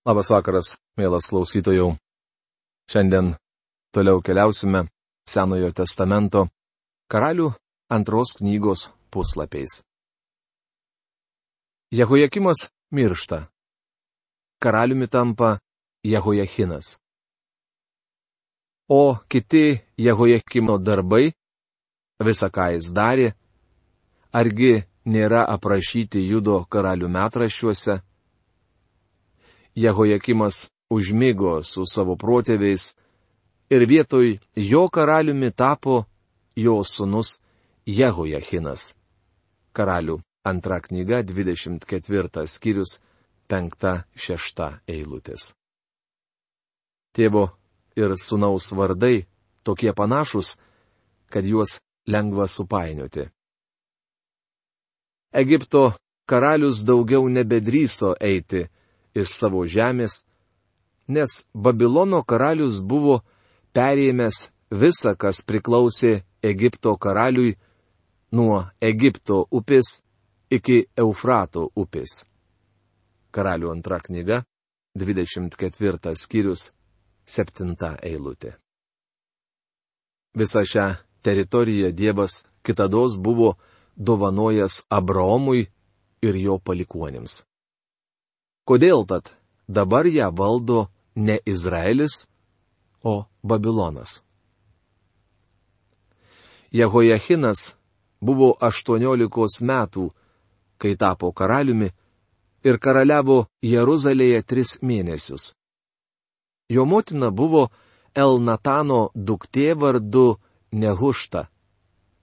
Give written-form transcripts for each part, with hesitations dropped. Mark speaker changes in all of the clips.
Speaker 1: Labas vakaras, mielas klausytojau. Šiandien toliau keliausime Senojo testamento Karalių 2 knygos puslapiais. Jehojakimas miršta. Karaliumi tampa Jehojachinas. O kiti Jehojakimo darbai, visa ką jis darė, argi nėra aprašyti Judo karalių metraščiuose? Jehojakimas užmigo su savo protėviais ir vietoj jo karaliumi tapo jo sūnus Jehojachinas. Karalių 2 knyga 24 skyrius 5-6 eilutės. Tėvo ir sūnaus vardai tokie panašūs, kad juos lengva supainioti. Egipto karalius daugiau nebedrįso eiti iš savo žemės, nes Babilono karalius buvo perėmęs visa, kas priklausė Egipto karaliui nuo Egipto upės iki Eufrato upės. Karalių 2 knyga, 24 skyrius, 7 eilutė. Visą šią teritoriją Dievas kitados buvo dovanojęs Abraomui ir jo palikuonims. Kodėl tad dabar ją valdo ne Izraelis, o Babilonas? Jehojachinas buvo 18 metų, kai tapo karaliumi, ir karaliavo Jeruzalėje 3 mėnesius. Jo motina buvo Elnatano duktė vardu Nehušta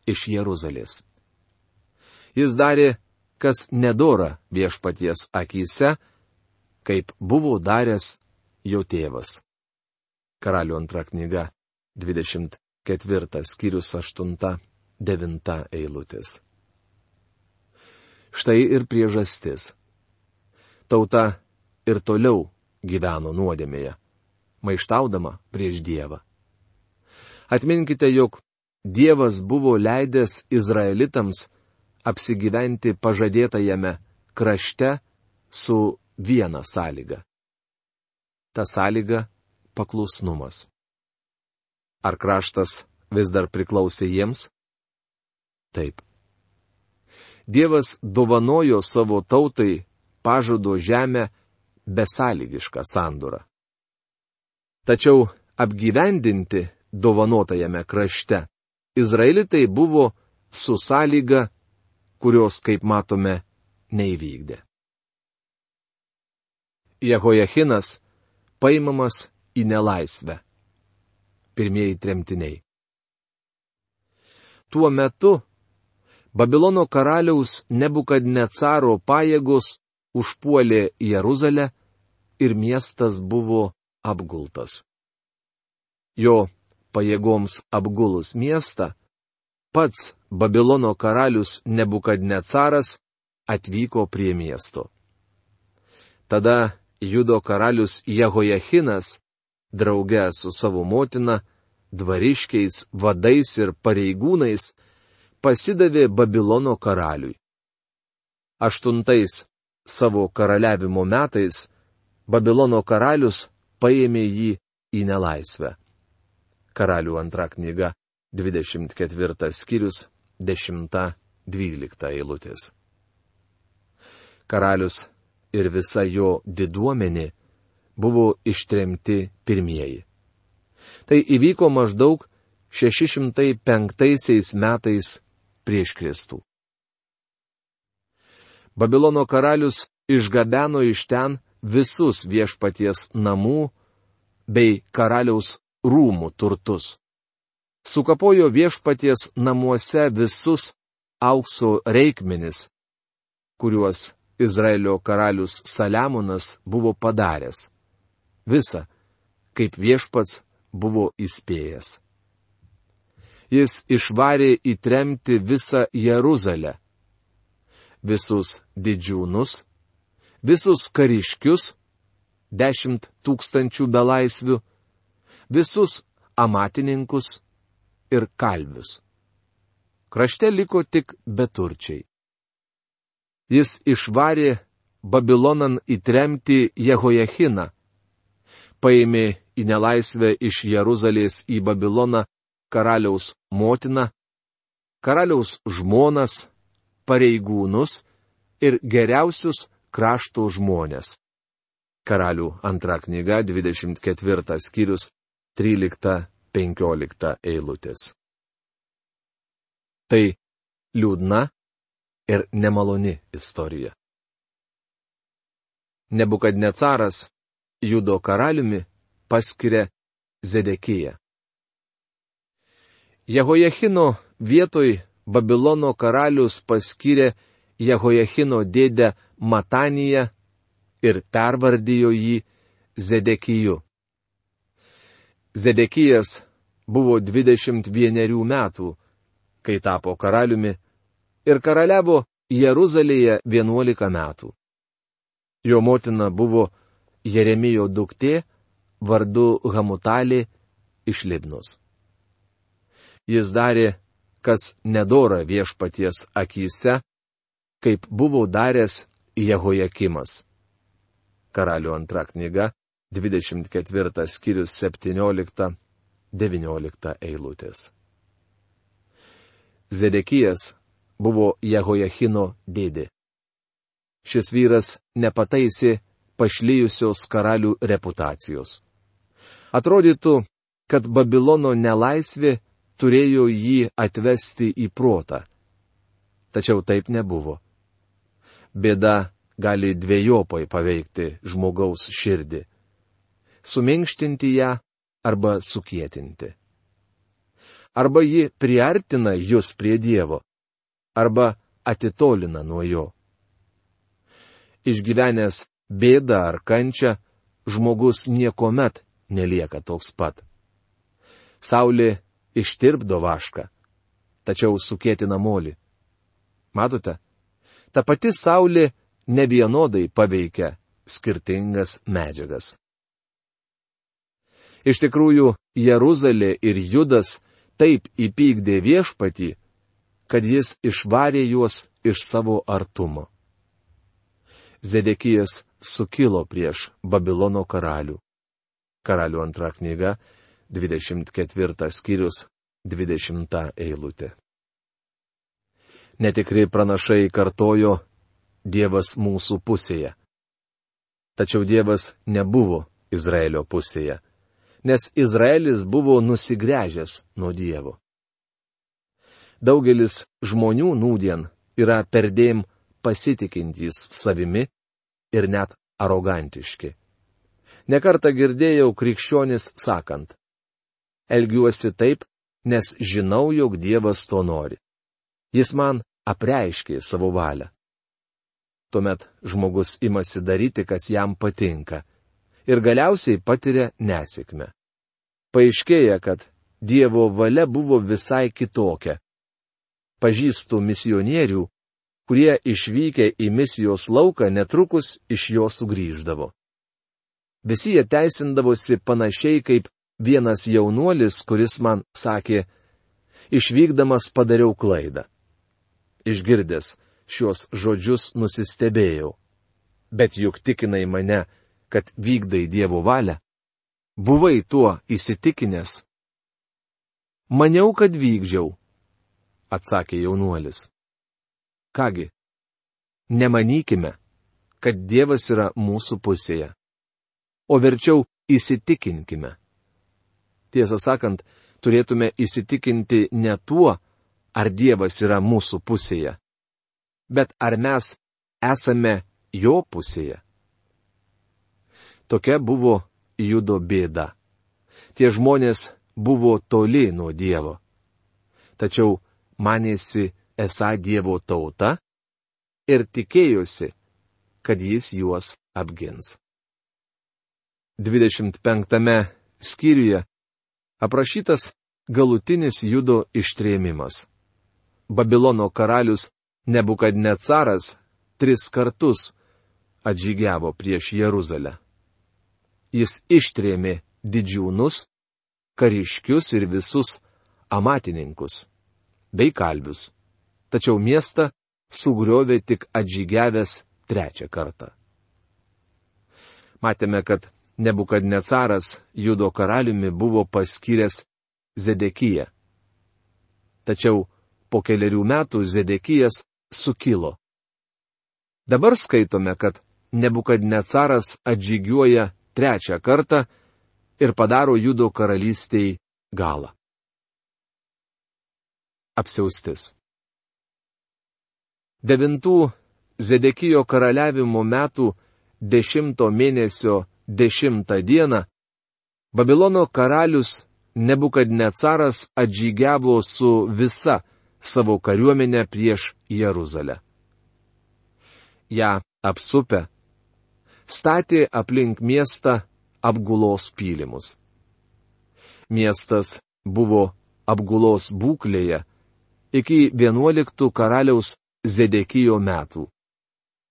Speaker 1: iš Jeruzalės. Jis darė, kas nedora viešpaties akyse, kaip buvo daręs jo tėvas. Karalių 2 knyga, 24 skyrius 8-9 eilutės. Štai ir priežastis. Tauta ir toliau gyveno nuodėmėje, maištaudama prieš Dievą. Atminkite, jog Dievas buvo leidęs Izraelitams apsigyventi pažadėtajame krašte su viena sąlyga. Ta sąlyga - paklusnumas. Ar kraštas vis dar priklausė jiems? Taip. Dievas dovanojo savo tautai pažado žemę besąlygišką sandorą. Tačiau apgyvendinti dovanotajame krašte Izraelitai buvo su sąlyga, kurios, kaip matome, neįvykdė. Jehojachinas paimamas į nelaisvę. Pirmieji tremtiniai. Tuo metu Babilono karaliaus Nebukadnecaro pajėgos užpuolė Jeruzalę ir miestas buvo apgultas. Jo pajėgoms apgulus miestą, pats Babilono karalius Nebukadnecaras atvyko prie miesto. Tada Judo karalius Jehojachinas, drauge su savo motina, dvariškiais, vadais ir pareigūnais, pasidavė Babilono karaliui. 8 savo karaliavimo metais Babilono karalius paėmė jį į nelaisvę. Karalių 2 knyga, 24 skyrius, 10-12 eilutės. Karalius ir visa jo diduomenė buvo ištremti pirmieji. Tai įvyko maždaug 605 metais prieš Kristų. Babilono karalius išgabeno iš ten visus viešpaties namų bei karaliaus rūmų turtus. Sukapojo viešpaties namuose visus aukso reikmenis, kuriuos Izraelio karalius Saliamonas buvo padaręs. Visa, kaip viešpats buvo įspėjęs. Jis išvarė į tremtį visą Jeruzalę. Visus didžiūnus, visus kariškius, 10 000 belaisvių, visus amatininkus ir kalvius. Krašte liko tik beturčiai. Jis išvarė Babilonan įtremti Jehojachiną, paėmė į nelaisvę iš Jeruzalės į Babiloną karaliaus motiną, karaliaus žmonas, pareigūnus ir geriausius krašto žmonės. Karalių antra knyga, 24 skyrius, 13-15 eilutės. Tai liūdna ir nemaloni istorija. Nebukadnecaras Judo karaliumi paskiria Zedekiją. Jehojachino vietoj Babilono karalius paskyrė Jehojachino dėdę Mataniją ir pervardijo jį Zedekiju. Zedekijas buvo 21 metų, kai tapo karaliumi, ir karaliavo Jeruzalėje 11 metų. Jo motina buvo Jeremijo duktė vardu Hamutalė iš Libnos. Jis darė, kas nedora viešpaties akyse, kaip buvo daręs Jehojakimas. Karalių antra knyga, 24 skyrius 17-19 eilutės. Zedekijas buvo Jehojachino dėdė. Šis vyras nepataisė pašlijusios karalių reputacijos. Atrodytų, kad Babilono nelaisvė turėjo jį atvesti į protą. Tačiau taip nebuvo. Bėda gali dvejopai paveikti žmogaus širdį. Suminkštinti ją arba sukietinti. Arba ji priartina jus prie Dievo, arba atitolina nuo jo. Išgyvenęs bėdą ar kančią, žmogus niekuomet nelieka toks pat. Saulė ištirpdo vašką, tačiau sukietina molį. Matote, ta pati saulė nevienodai paveikia skirtingas medžiagas. Iš tikrųjų, Jeruzalė ir Judas taip įpykdė viešpatį, kad jis išvarė juos iš savo artumo. Zedekijas sukilo prieš Babilono karalių. Karalių antra knyga, 24 skyrius, 20 eilutė. Netikri pranašai kartojo, Dievas mūsų pusėje. Tačiau Dievas nebuvo Izraelio pusėje, nes Izraelis buvo nusigręžęs nuo Dievo. Daugelis žmonių nūdien yra perdėm pasitikintys savimi ir net arogantiški. Nekartą girdėjau krikščionis sakant: elgiuosi taip, nes žinau, jog Dievas to nori. Jis man apreiškė savo valią. Tuomet žmogus imasi daryti, kas jam patinka, ir galiausiai patiria nesėkmę. Paaiškėja, kad Dievo valia buvo visai kitokia. Pažįstu misionierių, kurie išvykę į misijos lauką netrukus iš jo sugrįždavo. Visi jie teisindavosi panašiai kaip vienas jaunuolis, kuris man sakė: išvykdamas padariau klaidą. Išgirdęs šios žodžius nusistebėjau. Bet juk tikinai mane, kad vykdai Dievo valią? Buvai tuo įsitikinęs? Maniau, kad vykdžiau, atsakė jaunuolis. Kągi, nemanykime, kad Dievas yra mūsų pusėje, o verčiau įsitikinkime. Tiesą sakant, turėtume įsitikinti ne tuo, ar Dievas yra mūsų pusėje, bet ar mes esame jo pusėje. Tokia buvo Judo bėda. Tie žmonės buvo toli nuo Dievo. Tačiau manėsi esą Dievo tauta ir tikėjosi, kad jis juos apgins. 25 skyriuje aprašytas galutinis Judo ištrėmimas. Babilono karalius Nebukadnecaras 3 kartus atžygiavo prieš Jeruzalę. Jis ištrėmė didžiūnus, kariškius ir visus amatininkus, bei kalvius. Tačiau miestą sugriovė tik atžygiavęs trečią kartą. Matėme, kad Nebukadnecaras Judo karaliumi buvo paskyręs Zedekiją. Tačiau po kelerių metų Zedekijas sukilo. Dabar skaitome, kad Nebukadnecaras atžygiuoja trečią kartą ir padaro Judo karalystei galą. Apsiaustis. 9 Zedekijo karaliavimo metų 10 mėnesio 10 dieną Babilono karalius Nebukadnecaras atžygiavo su visa savo kariuomenė prieš Jeruzalę. Ja apsupę, statė aplink miestą apgulos pylimus. Miestas buvo apgulos būklėje iki 11 karaliaus Zedekijo metų.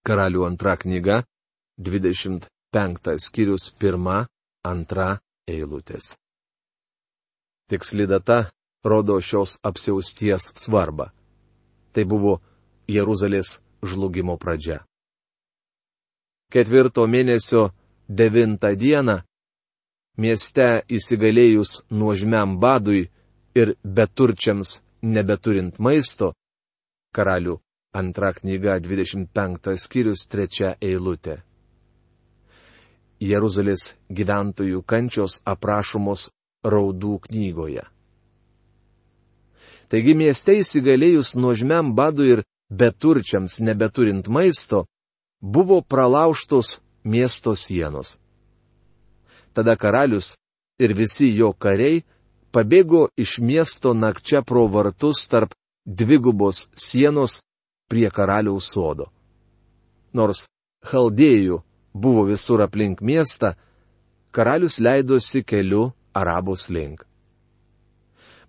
Speaker 1: Karalių antra knyga, 25 skyrius 1-2 eilutės. Tiksli data rodo šios apsiausties svarbą. Tai buvo Jeruzalės žlugimo pradžia. 4 mėnesio 9 dieną, mieste įsigalėjus nuožmiam badui ir beturčiams nebeturint maisto, Karalių antra knyga 25 skyrius 3 eilutė. Jeruzalės gyventojų kančios aprašomos raudų knygoje. Taigi mieste įsigalėjus nuožmiam badui ir beturčiams nebeturint maisto, buvo pralaužtos miesto sienos. Tada karalius ir visi jo kariai pabėgo iš miesto nakčia pro vartus tarp dvigubos sienos prie karaliaus sodo. Nors chaldėjų buvo visur aplink miestą, karalius leidosi keliu Arabos link.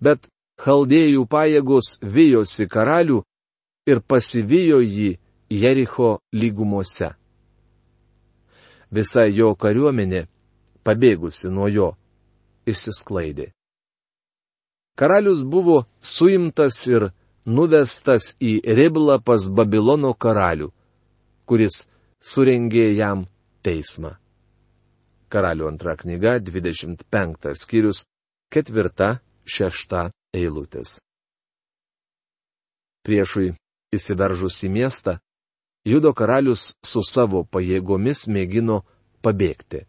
Speaker 1: Bet chaldėjų pajėgos vijosi karalių ir pasivijo jį Jericho lygumose. Visa jo kariuomenė, pabėgusi nuo jo, išsisklaidė. Karalius buvo suimtas ir nuvestas į Riblą pas Babilono karalių, kuris surengė jam teismą. Karalių antra knyga, 25 skyrius, 4-6 eilutės. Priešui įsiveržus į miestą, Judo karalius su savo pajėgomis mėgino pabėgti,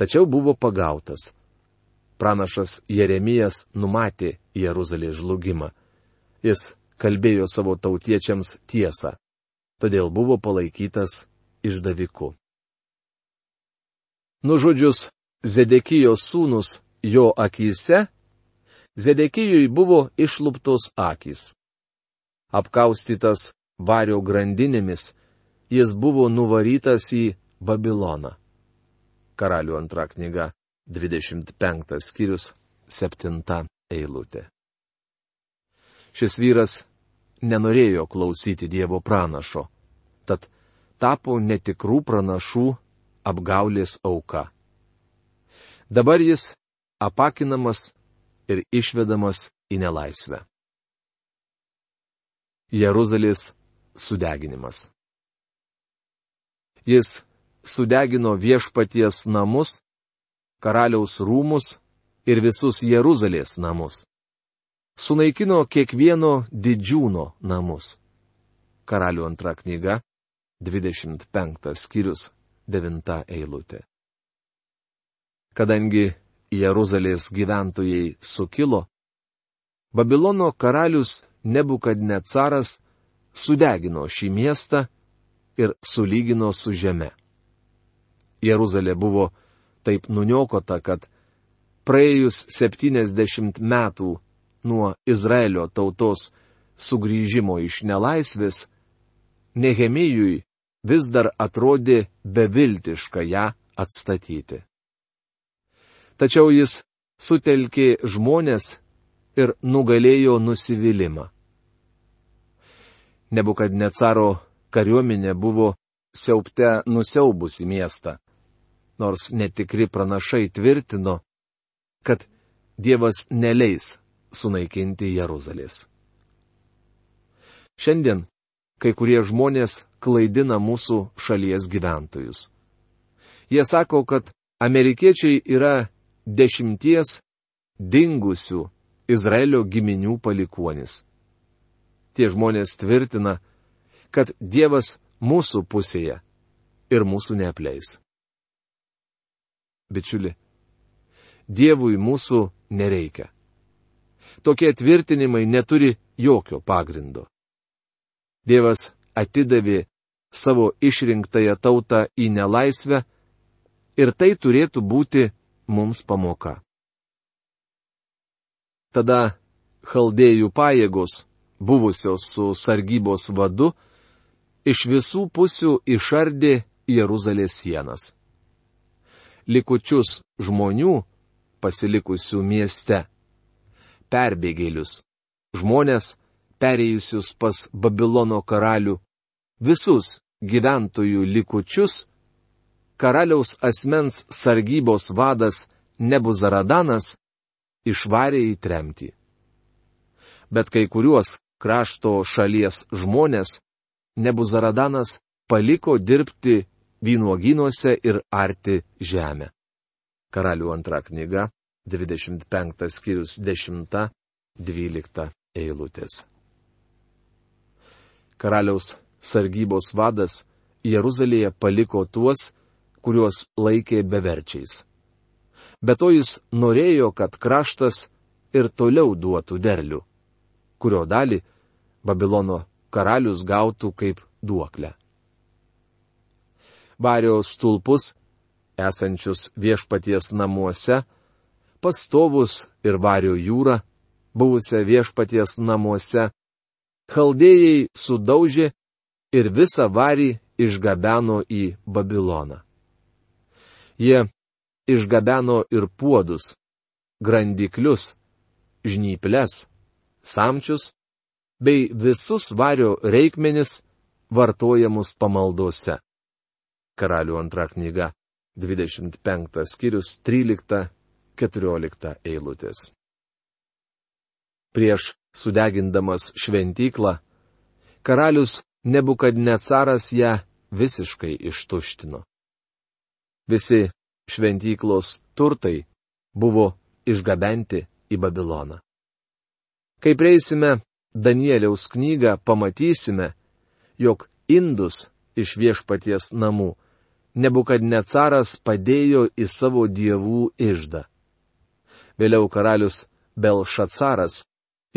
Speaker 1: tačiau buvo pagautas. Pranašas Jeremijas numatė Jeruzalės žlugimą. Jis kalbėjo savo tautiečiams tiesą, todėl buvo palaikytas išdaviku. Nužudžius Zedekijo sūnus jo akyse, Zedekijui buvo išluptos akys. Apkaustytas vario grandinėmis, jis buvo nuvarytas į Babiloną. Karalių antra knyga, 25 skyrius, 7 eilutė. Šis vyras nenorėjo klausyti Dievo pranašo, tad tapo netikrų pranašų apgaulės auka. Dabar jis apakinamas ir išvedamas į nelaisvę. Jeruzalės sudeginimas. Jis sudegino viešpaties namus, karaliaus rūmus ir visus Jeruzalės namus. Sunaikino kiekvieno didžiūno namus. Karalių antra knyga, 25 skyrius, 9 eilutė. Kadangi Jeruzalės gyventojai sukilo, Babilono karalius Nebukadnecaras sudegino šį miestą ir sulygino su žeme. Jeruzalė buvo taip nuniokota, kad praėjus 70 metų nuo Izraelio tautos sugrįžimo iš nelaisvės, Nehemijui vis dar atrodė beviltiška ją atstatyti. Tačiau jis sutelkė žmonės ir nugalėjo nusivylimą. Nebukadnecaro kariuomenė buvo siaubte nusiaubusi miestą, nors netikri pranašai tvirtino, kad Dievas neleis sunaikinti Jeruzalės. Šiandien kai kurie žmonės klaidina mūsų šalies gyventojus. Jie sako, kad amerikiečiai yra 10 dingusių Izraelio giminių palikuonis. Tie žmonės tvirtina, kad Dievas mūsų pusėje ir mūsų neapleis. Bičiuli, Dievui mūsų nereikia. Tokie tvirtinimai neturi jokio pagrindo. Dievas atidavė savo išrinktąją tautą į nelaisvę ir tai turėtų būti mums pamoka. Tada chaldėjų pajėgos, buvusios su sargybos vadu, iš visų pusių išardė Jeruzalės sienas. Likučius žmonių, pasilikusių mieste, perbėgėlius, žmonės, perėjusius pas Babilono karalių, visus gyventojų likučius, karaliaus asmens sargybos vadas Nebuzaradanas išvarė į tremtį. Bet kai kuriuos krašto šalies žmonės Nebuzaradanas paliko dirbti vynuogynuose ir arti žemę. Karalių 2 knyga, 25 skyrius 10-12 eilutės. Karaliaus sargybos vadas Jeruzalėje paliko tuos, kuriuos laikė beverčiais. Be to jis norėjo, kad kraštas ir toliau duotų derlių, kurio dalį Babilono karalius gautų kaip duoklę. Vario stulpus, esančius viešpaties namuose, pastovus ir vario jūrą, buvusią viešpaties namuose, chaldėjai sudaužė ir visą varį išgabeno į Babiloną. Jie išgabeno ir puodus, grandiklius, žnyples, samčius, bei visus vario reikmenis vartojamus pamaldose. Karalių 2 knyga, 25 skyrius 13-14 eilutės. Prieš sudegindamas šventyklą, karalius Nebukadnecaras ją visiškai ištuštino. Visi šventyklos turtai buvo išgabenti į Babiloną. Kai prieisime Danieliaus knygą, pamatysime, jog indus iš viešpaties namų Nebukadnecaras padėjo į savo dievų iždą. Vėliau karalius Belšacaras,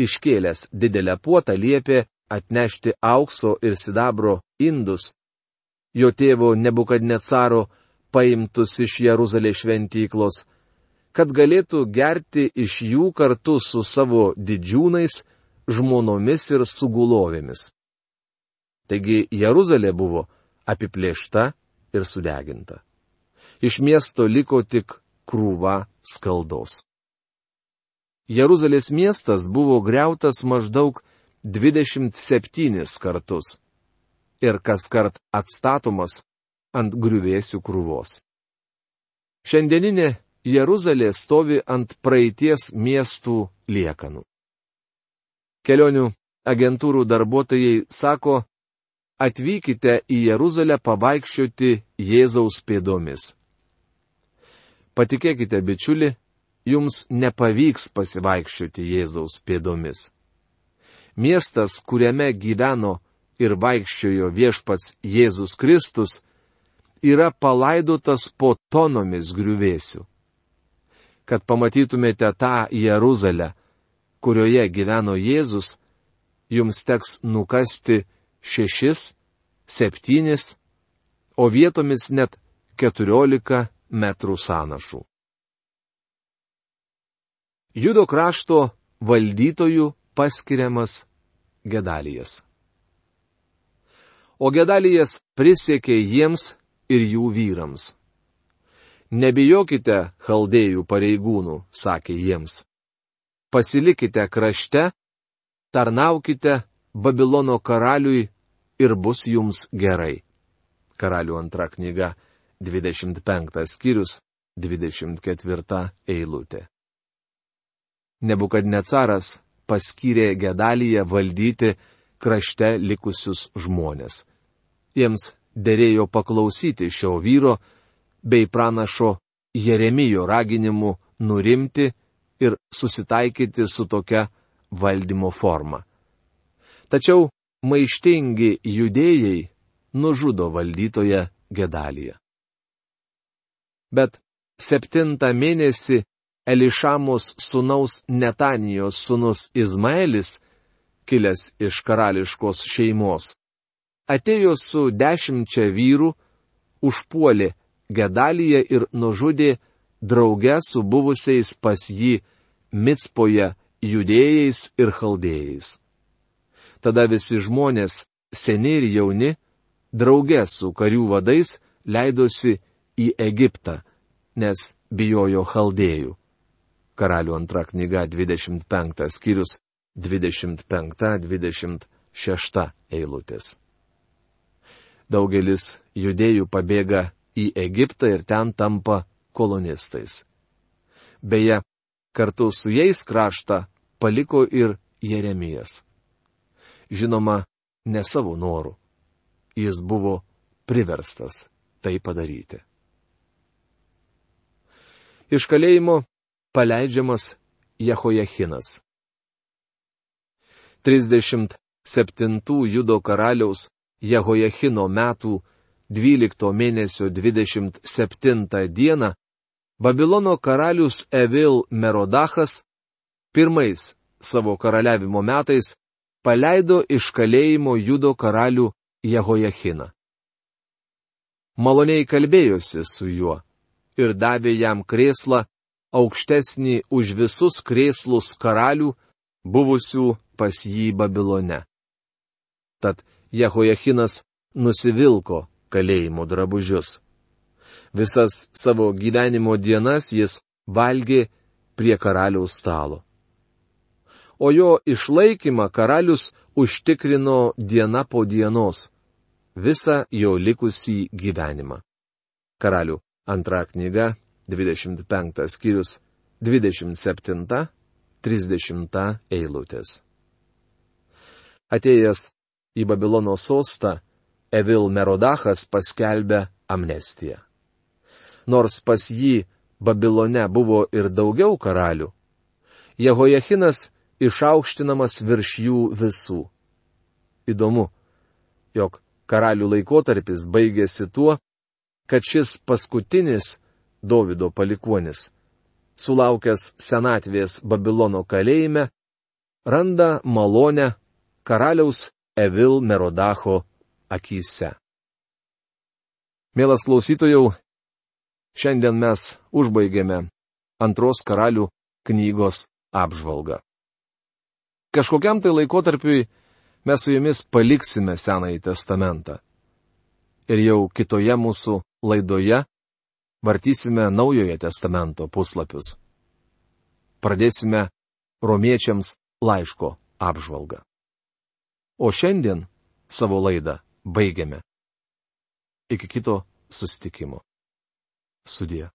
Speaker 1: iškėlęs didelę puotą, liepė atnešti aukso ir sidabro indus, jo tėvo Nebukadnecaro paimtus iš Jeruzalės šventyklos, kad galėtų gerti iš jų kartu su savo didžiūnais, žmonomis ir sugulovėmis. Taigi Jeruzalė buvo apiplėšta ir sudeginta. Iš miesto liko tik krūva skaldos. Jeruzalės miestas buvo griautas maždaug 27 kartus ir kaskart atstatomas ant griuvėsių krūvos. Šiandieninė Jeruzalė stovi ant praeities miestų liekanų. Kelionių agentūrų darbuotojai sako, atvykite į Jeruzalę pavaikščioti Jėzaus pėdomis. Patikėkite, bičiuli, jums nepavyks pasivaikščioti Jėzaus pėdomis. Miestas, kuriame gyveno ir vaikščiojo viešpats Jėzus Kristus, yra palaidotas po tonomis griuvėsių. Kad pamatytumėte tą Jeruzalę, kurioje gyveno Jėzus, jums teks nukasti 6, 7, o vietomis net 14 metrų sąnašų. Judo krašto valdytojų paskiriamas Gedalijas. O Gedalijas prisiekė jiems ir jų vyrams. Nebijokite chaldėjų pareigūnų, sakė jiems. Pasilikite krašte, tarnaukite Babilono karaliui ir bus jums gerai. Karalių 2 knyga, 25 skyrius, 24 eilutė. Nebukadnecaras paskyrė Gedaliją valdyti krašte likusius žmonės. Jiems derėjo paklausyti šio vyro bei pranašo Jeremijo raginimu nurimti ir susitaikyti su tokia valdymo forma. Tačiau maištingi judėjai nužudo valdytoją Gedaliją. Bet 7 mėnesį Elišamos sūnaus Netanijos sūnus Izmaelis, kilęs iš karališkos šeimos, atėjo su 10 vyrų, užpuolė Gedaliją ir nužudė drauge su buvusiais pas jį Micpoje judėjais ir chaldėjais. Tada visi žmonės, seni ir jauni, drauge su karių vadais leidosi į Egiptą, nes bijojo chaldėjų. Karalių 2 knyga 25 skyrius 25-26 eilutės. Daugelis judėjų pabėga į Egiptą ir ten tampa kolonistais. Beje, kartu su jais kraštą paliko ir Jeremijas. Žinoma, ne savo norų. Jis buvo priverstas tai padaryti. Iš kalėjimo paleidžiamas Jehojachinas. 37 Judo karaliaus Jehojachino metų 12 mėnesio 27 dieną Babilono karalius Evil Merodachas pirmais savo karaliavimo metais paleido iš kalėjimo Judo karalių Jehojachiną. Maloniai kalbėjosi su juo ir davė jam krėslą aukštesnį už visus krėslus karalių, buvusių pas jį Babilone. Tad Jehojachinas nusivilko kalėjimo drabužius. Visas savo gyvenimo dienas jis valgė prie karaliaus stalo. O jo išlaikymą karalius užtikrino diena po dienos, visą jo likusį gyvenimą. Karalių 2 knyga, 25 skyrius, 27-30 eilutės. Atėjęs į Babilono sostą, Evil Merodachas paskelbė amnestiją. Nors pas jį Babilone buvo ir daugiau karalių, Jehojachinas išaukštinamas virš jų visų. Įdomu, jog karalių laikotarpis baigėsi tuo, kad šis paskutinis Dovydo palikuonis, sulaukęs senatvės Babilono kalėjime, randa malonę karaliaus Evil Merodacho akyse. Mielas klausytojau, šiandien mes užbaigėme 2 karalių knygos apžvalgą. Kažkokiam tai laikotarpiui mes su jumis paliksime Senąjį testamentą. Ir jau kitoje mūsų laidoje vartysime Naujojo testamento puslapius. Pradėsime Romiečiams laiško apžvalgą. O šiandien savo laidą baigiame. Iki kito susitikimo. Sudie.